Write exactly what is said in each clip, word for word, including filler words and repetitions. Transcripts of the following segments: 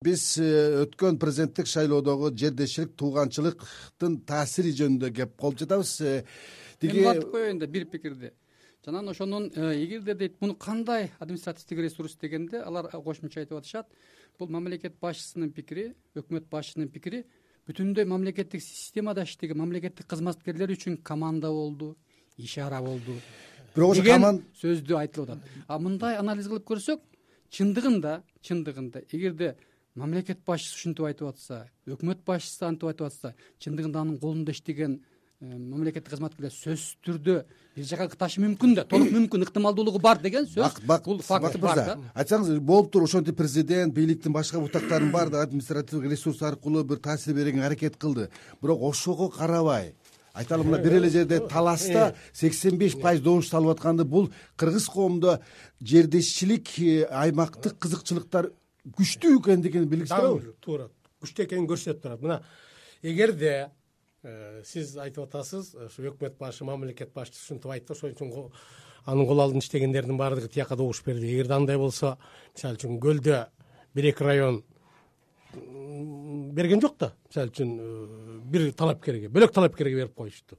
Биз өткөн президенттик шайлоодогу жердешчилик, тууганчылыктын таасири жөнүндө кеп калып жатабыз. Мен батып коеюн да бир пикирди. Жанан ошонун эгерде дейт муну кандай административдик ресурс дегенде алар кошумча айтып атышат. Бул мамлекет башчысынын пикири, өкмөт башчысынын пикири бүтүндөй мамлекеттик системада иштеген мамлекеттик кызматкерлер үчүн команда болду, ишара болду. Бирок ошо команда сөздү айтылып атат. А мындай анализ кылып көрсөк, чындыгында, чындыгында эгерде мамлекет башчысы ушинтип айтып атса, өкмөт башчысы антип айтып атса, чындыгында анын колунда иштеген мамлекеттик кызматкерлер сөзсүз түрдө бир жака кташы мүмкүн да, толук мүмкүн, ыктымалдуулугу бар деген сөз. Бул факт бар да. Айтсаңыз, болуп туруп ошентип президент, бийликтин башка бутактарын баардыгы административдик ресурс аркылуу бир таасир берүүгө аракет кылды. Бирок ошого карабай айталы мына бир эле жерде таласта сексен беш пайыз добуш салып атканды, бул кыргыз коомдо жердешчилик, аймактык кызыкчылыктар күчтүү экендигин билгиздип турабы? Туура. Күчтүү экенин көрсөтүп турат. Мына эгерде сиз айтып атасыз, ушу өкмөт башы, мамлекет башчысы ушинтип айтты, ошон үчүн анын кол алдында иштегендердин баардыгы тияка добуш берди. Эгерде андай болсо, мисалы үчүн Көлдө бир эки район берген жок да, мисалы үчүн бир талапкерге, бөлөк талапкерге берип коюшту.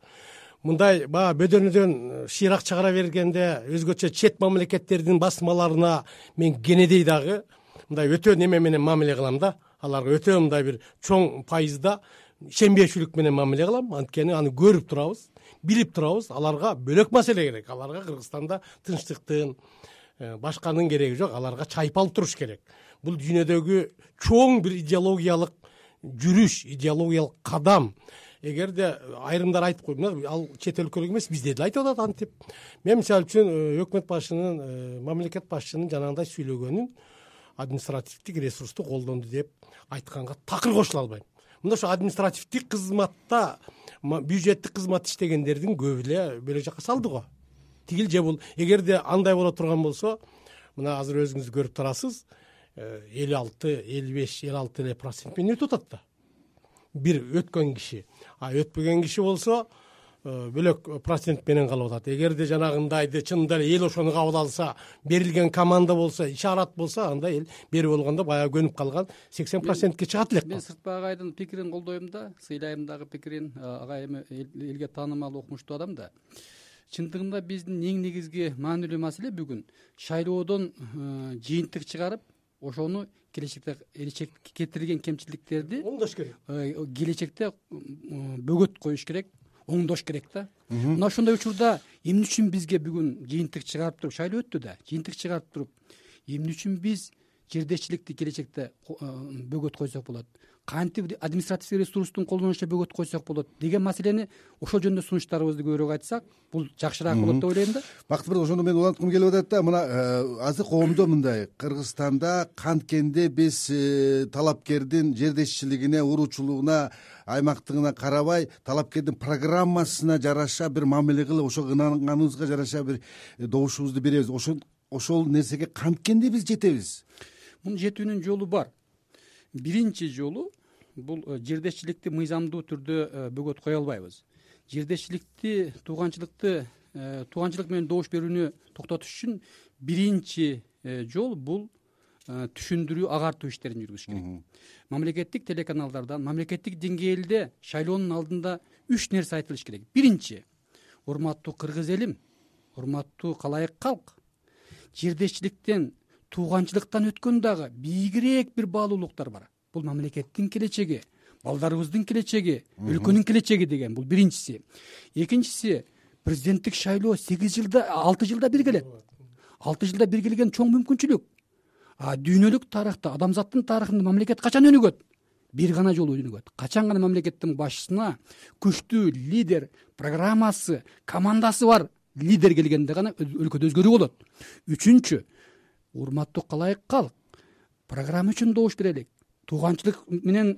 Мындай баягы бөдөнөдөн шыйрак чыгара бергенде өзгөчө чет мамлекеттердин басмаларына мен кенедей дагы мындай өтө неме менен мамиле кылам да, аларга өтө мындай бир чоң пайызда ишенбешүүлүк менен мамиле кылам. Анткени аны көрүп турабыз, билип турабыз, аларга бөлөк маселе керек. Аларга Кыргызстанда тынчтыктын, башканын кереги жок, аларга чайпалып туруш керек. Бул дүйнөдөгү чоң бир идеологиялык жүрүш, идеологиялык кадам. Эгерде айрымдар айтып койду, ал чет өлкөлүк эмес, бизде деле айтып атат антип. Мен мисалы үчүн өкмөт башчынын, мамлекет башчынын жанагындай сүйлөгөнүн административдик ресурсту колдонду деп айтканга такыр кошула албайм. Мында ошо административдик кызматта, бюджеттик кызмат иштегендердин көбү эле бөлөк жака салды го. Тигил же бул. Эгерде андай боло турган болсо, мына азыр өзүңүз көрүп турасыз, элүү алты, элүү беш, элүү алты эле процент менен өтүп атат да. Бир өткөн киши. А өтпөгөн киши болсо, бөлөк процент менен калып атат. Эгерде жанагындайды чынында эле эл ошону кабыл алса, берилген команда болсо, ишарат болсо, анда эл бери болгондо баягы көнүп калган сексен процентке чыгат элек. Мен Сыртбай агайдын пикирин колдойм да, сыйлайм дагы пикирин. Агай эми элге таанымал, окумуштуу адам да. Чындыгында биздин эң негизги маанилүү маселе бүгүн шайлоодон жыйынтык чыгарып, ошону келечекте келечекке кетирген кемчиликтерди оңдош керек. Келечекте бөгөт коюш керек, оңдош керек да. Мына ошондой учурда эмне үчүн бизге бүгүн жыйынтык чыгарып туруп, шайлоо өттү да, жыйынтык чыгарып туруп, эмне үчүн биз жердешчиликти келечекте бөгөт койсок болот, кантип административдик ресурстун колдонушуна бөгөт койсок болот деген маселени ошол жөнүндө сунуштарыбызды көбүрөөк айтсак, бул жакшыраак болот деп ойлойм да. Бактыбек, ошондо мен уланткым келип атат да, мына азыр коомдо мындай, Кыргызстанда канткенде биз талапкердин жердешчилигине, уруучулугуна, аймактыгына карабай, талапкердин программасына жараша бир мамиле кылып, ошо ынанганыбызга жараша бир добушубузду беребиз. Ошол ошол нерсеге канткенде биз жетебиз. Мунун жетүүнүн жолу бар. Биринчи жолу бул жердешчиликти мыйзамдуу түрдө бөгөт кое албайбыз. Жердешчиликти, тууганчылыкты, тууганчылык менен добуш берүүнү токтотуш үчүн биринчи жол бул түшүндүрүү, агартуу иштерин жүргүзүш керек. Мамлекеттик телеканалдардан, мамлекеттик деңгээлде шайлоонун алдында үч нерсе айтылыш керек. Биринчи, урматтуу кыргыз элим, урматтуу калайык калк, жердешчиликтен, тууганчылыктан өткөн дагы бийигирээк бир баалуулуктар бар. Бул мамлекеттин келечеги, балдарыбыздын келечеги, өлкөнүн келечеги деген бул биринчиси. Экинчиси, президенттик шайлоо сегиз жылда, алты жылда бир келет. алты жылда бир келген чоң мүмкүнчүлүк. А дүйнөлүк тарыхта, адамзаттын тарыхында мамлекет качан өнүгөт? Бир гана жолу өнүгөт. Качан гана мамлекеттин башчысына күчтүү лидер, программасы, командасы бар лидер келгенде гана өлкөдө өзгөрүү болот. Үчүнчү, урматтуу калайык калк, программа үчүн добуш берелик. Тууганчылык менен,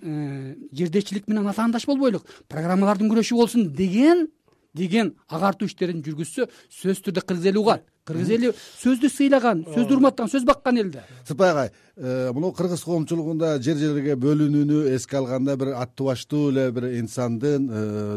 жердешчилик менен атаандаш болбойлук. Программалардын күрөшү болсун деген деген агартуу иштерин жүргүзсө, сөзсүз түрдө кыргыз эли угат. кыргыз эли сөздү сыйлаган, сөздү урматтаган, сөз баккан эл да. Сыртбай агай, мына кыргыз коомчулугунда жер жерге бөлүнүүнү эске алганда бир аттуу баштуу эле бир инсандын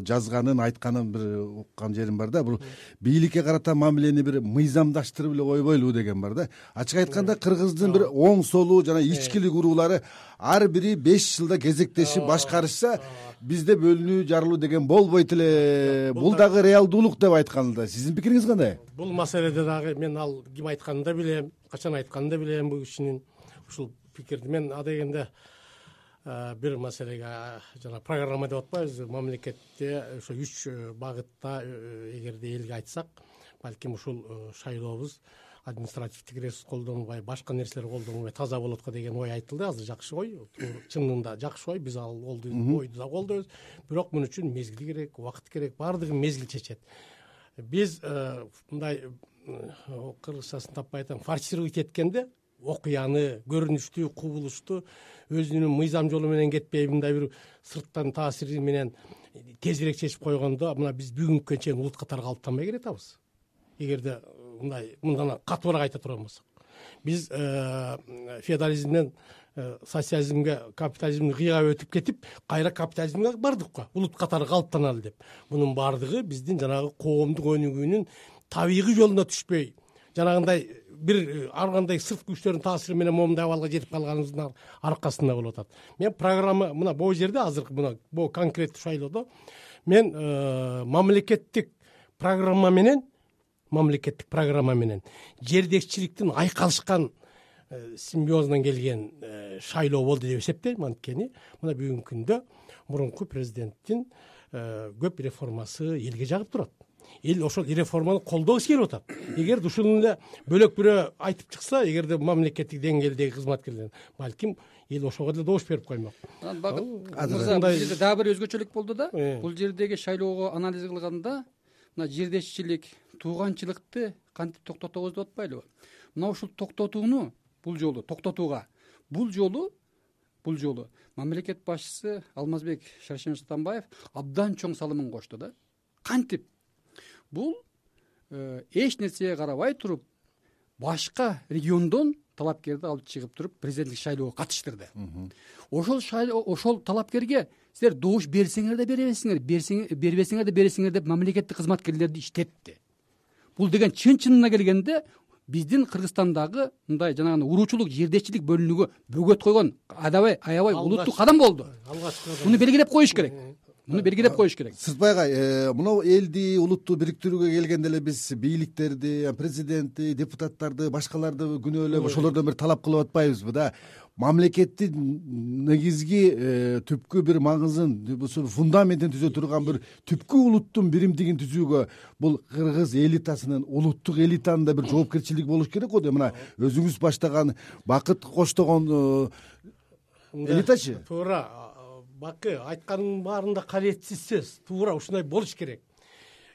жазганын, айтканын бир уккан жерим бар да. Бул бийликке карата мамилени бир мыйзамдаштырып эле койбойлу деген бар да. Ачык айтканда кыргыздын бир оң солу жана ичкилик уруулары ар бири беш жылда кезектешип башкарышса, бизде бөлүнүү жарылуу деген болбойт эле. Бул дагы реалдуулук деп айтканда сиздин пикириңиз кандай? Бул маселеде дагы мен ал ким айтканын да билем, качан айтканын да билем бул кишинин ушул пикирди. Мен адегенде бир маселеге жана программа деп атпайбызбы, мамлекетте ошо үч багытта эгерде элге айтсак, балким ушул шайлообуз административдик ресурс колдонбой, башка нерселер колдонбой таза болот го деген ой айтылды. Азыр жакшы ой, чынында жакшы ой, биз ал ойду да колдойбуз. Бирок муну үчүн мезгил керек, убакыт керек, баардыгын мезгил чечет. Биз мындай кыргызчасын таппай айтам, форсировать эткенде окуяны, көрүнүштү, кубулушту өзүнүн мыйзам жолу менен кетпей, мындай бир сырттан таасири менен тезирээк чечип койгондо, мына биз бүгүнкүгө чейин улут катары калыптанбай келатабыз. Эгерде мындай мындан катуураак айта турган болсок, биз феодализмден социализмге, капитализмди кыйгап өтүп кетип, кайра капитализмге бардык го, улут катары калыптаналы деп. Мунун баардыгы биздин жанагы коомдук өнүгүүнүн табигый жолуна түшпөй, жанагындай бир ар кандай сырт күчтөрдүн таасири менен момундай абалга жетип калганыбыздын аркасында болуп атат. Мен программа мына бул жерде азыр мына бул конкреттүү шайлоодо мен мамлекеттик программа менен мамлекеттик программа менен жердешчиликтин айкалышкан симбиозунан келген шайлоо болду деп эсептейм. Анткени мына бүгүнкү күндө мурунку президенттин көп реформасы элге жагып турат. Эл ошол реформаны колдогусу келип атат. Эгерде ушуну эле бөлөк бирөө айтып чыкса, эгерде мамлекеттик деңгээлдеги кызматкерлер, балким эл ошого деле добуш берип коймок. Мырза, бул жерде дагы бир өзгөчөлүк болду да. Бул жердеги шайлоого анализ кылганда мына жердешчилик, тууганчылыкты кантип токтотобуз деп атпайлыбы? Мына ушул токтотууну бул жолу токтотууга бул жолу бул жолу мамлекет башчысы Алмазбек Шаршемиш Атамбаев абдан чоң салымын кошту да. Кантип? Бул эч нерсеге карабай туруп башка региондон талапкерди алып чыгып туруп президенттик шайлоого катыштырды. Ошол шайлоо ошол талапкерге силер добуш берсеңер да бербесиңер, бербесеңер да бересиңер деп мамлекеттик кызматкерлерди иштетти. Бул деген чын-чынына келгенде биздин Кыргызстандагы мындай жанагы уруучулук, жердешчилик бөлүнүүгө бөгөт койгон аябай аябай улуттук кадам болду. Муну белгилеп коюш керек. Муну белгилеп коюш керек. Сыртбай агай, мына элди, улутту бириктирүүгө келгенде эле биз бийликтерди, президентти, депутаттарды, башкаларды күнөөлөп, ошолордон бир талап кылып атпайбызбы да? Мамлекеттин негизги түпкү бир маңызын, фундаментин түзө турган бир түпкү улуттун биримдигин түзүүгө бул кыргыз элитасынын, улуттук элитанын да бир жоопкерчилиги болуш керек го. Мына өзүңүз баштаган Бакыт коштогон элитачы. Туура. Бакы айтканын баарында кабетсиз сөз. Туура ушундай болуш керек.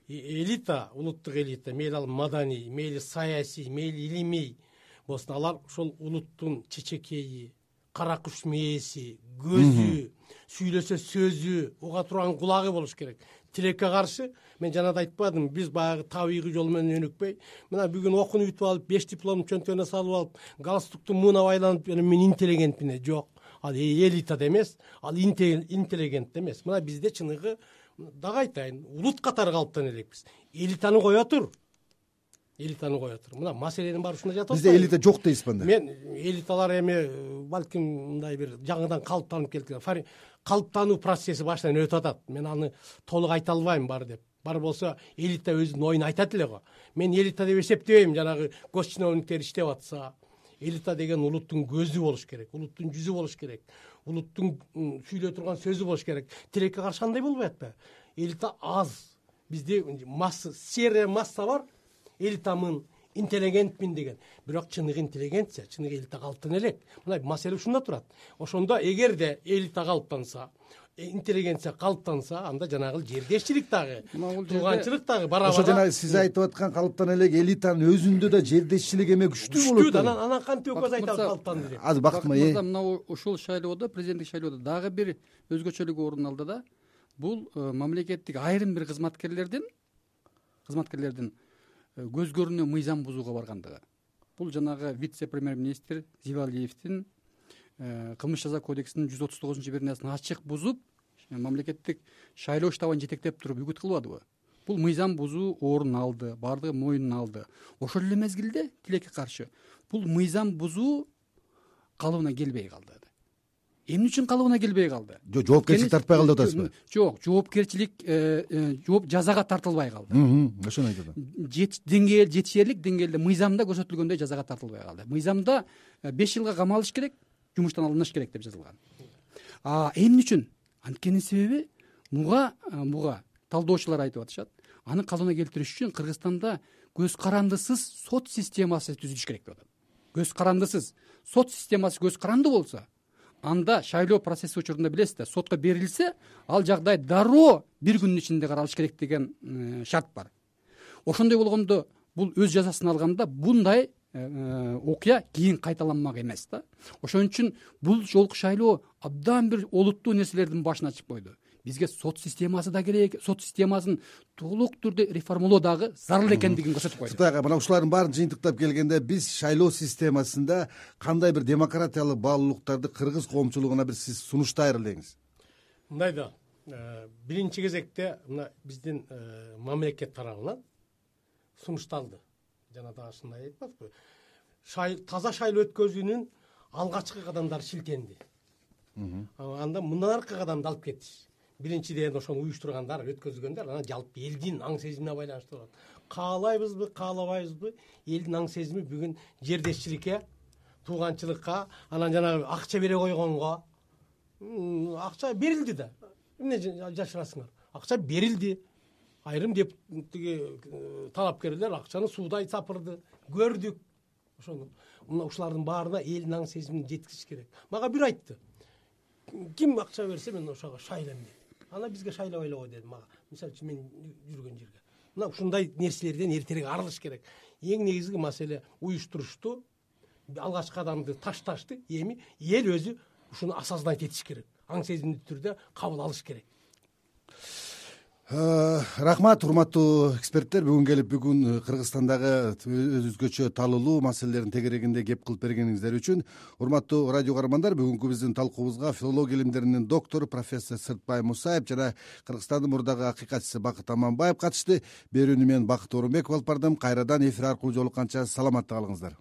Элита, улуттук элита, мейли ал маданий, мейли саясий, мейли илимий болсун, алар ошол улуттун чечекейи, кара куш мээси, көзү, сүйлөсө сөзү, уга турган кулагы болуш керек. Тилекке каршы мен жана да айтпадым, биз баягы табигый жол менен өнүкпөй, мына бүгүн окууну бүтүп алып, беш дипломду чөнтөгүнө салып алып, галстукту муна байланып, мен интеллигентмин. Жок. Ал элита да эмес, ал интеллигент да эмес. Мына бизде чыныгы дагы айтайын, улут катары калыптан элекпиз. Элитаны кое тур. Элитаны кое тур. Мына маселенин баары ушунда жатат. Бизде элита жок дейсизби анда? Мен элиталар эми балким мындай бир жаңыдан калыптанып келген. Калыптануу процесси баштан өтүп атат. Мен аны толук айта албайм бар деп. Бар болсо элита өзүнүн оюн айтат эле го. Мен элита деп эсептебейм, жанагы госчиновниктер иштеп атса. Элита деген улуттун көзү болуш керек, улуттун жүзү болуш керек, улуттун сүйлөй турган сөзү болуш керек. Тилекке каршы андай болбой атпайбы? Элита аз. Бизде масса, серия масса бар. Элитамын, интеллигентмин деген. Бирок чыныгы интеллигенция, чыныгы элита калыптан элек. Мына маселе ушунда турат. Ошондо эгерде элита калыптанса, интеллигенция калыптанса, анда жанагы жердешчилик дагы, тууганчылык дагы барабар. Ошо жана сиз айтып аткан калыптан элек элитанын өзүндө да жердешчилик эме күчтүү болот. Күчтүү, анан анан кантип өкөз айтат калыптанды деп. Азыр Бакыт мырза, мына ушул шайлоодо, президенттик шайлоодо дагы бир өзгөчөлүк орун алды да. Бул мамлекеттик айрым бир кызматкерлердин кызматкерлердин көз көрүнүү мыйзам бузууга баргандыгы. Бул жанагы вице премьер министр Зибалиевдин кылмыш жаза кодексинин жүз отуз тогузунчу беренесин ачык бузуп, мамлекеттик шайлоо штабын жетектеп туруп үгүт кылбадыбы? Бул мыйзам бузуу орун алды, баардыгы мойнуна алды. Ошол эле мезгилде тилекке каршы бул мыйзам бузуу калыбына келбей калды. Эмне үчүн калыбына келбей калды? Жок, жоопкерчилик тартпай калды деп атасызбы? Жок, жоопкерчилик жооп жазага тартылбай калды. Ошону айтып атам. Деңгээл жетишерлик деңгээлде мыйзамда көрсөтүлгөндөй жазага тартылбай калды. Мыйзамда беш жылга камалыш керек, жумуштан алыныш керек деп жазылган. А эмне үчүн? Анткенин себеби муга муга талдоочулар айтып атышат. Аны калыбына келтириш үчүн Кыргызстанда көз карандысыз сот системасы түзүлүш керек деп атат. Көз карандысыз сот системасы көз каранды болсо, анда шайлоо процесси учурунда билесиз да, сотко берилсе, ал жагдай дароо бир күндүн ичинде каралыш керек деген шарт бар. Ошондой болгондо бул өз жазасын алганда bunday окуя кийин кайталанмак эмес да. Ошон үчүн бул жолку шайлоо абдан бир олуттуу нерселердин башын ачып койду. Бизге сот системасы да керек, сот системасын толук түрдө реформалоо дагы зарыл экендигин көрсөтүп койду. Сутайга мына ушулардын баарын жыйынтыктап келгенде биз шайлоо системасында кандай бир демократиялык баалуулуктарды кыргыз коомчулугуна бир сиз сунуштайыр элеңиз? Мындай да, биринчи кезекте мына биздин мамлекет тарабынан сунушталды. Жана дагы ушундай айтып атпайбы? Таза шайлоо өткөзүүнүн алгачкы кадамдары шилтенди. Анда мындан аркы кадамды алып кетиш. Биринчиден ошону уюштургандар, өткөзгөндөр анан жалпы элдин аң сезимине байланыштуу болот. Каалайбызбы, каалабайбызбы, элдин аң сезими бүгүн жердешчиликке, тууганчылыкка, анан жанагы акча бере койгонго, акча берилди да. Эмне жашырасыңар? Акча берилди. Айрым деп тиги талапкерлер акчаны суудай сапырды, көрдүк. Ошону мына ушулардын баарына элдин аң сезимин жеткизиш керек. Мага бир айтты. Ким акча берсе мен ошого шайлайм деди. Ана бизге шайлабай эле деди мага. Мисалы үчүн мен жүргөн жерге. Мына ушундай нерселерден эртерээк арылыш керек. Эң негизги маселе уюштурушту, алгачкы кадамды ташташты. Эми эл өзү ушуну осознать этиш керек. Аң сезимдүү түрдө кабыл алыш керек. Рахмат, урматтуу эксперттер, бүгүн келип бүгүн Кыргызстандагы өзгөчө талуулуу маселелердин тегерегинде кеп кылып бергениңиздер үчүн. Урматтуу радио каармандар, бүгүнкү биздин талкуубузга филология илимдеринин доктору профессор Сыртбай Мусаев жана Кыргызстандын мурдагы акыйкатчысы Бакыт Аманбаев катышты. Берүүнү мен Бакыт Орунбеков алып бардым. Кайрадан эфир аркылуу жолукканча саламатта калыңыздар.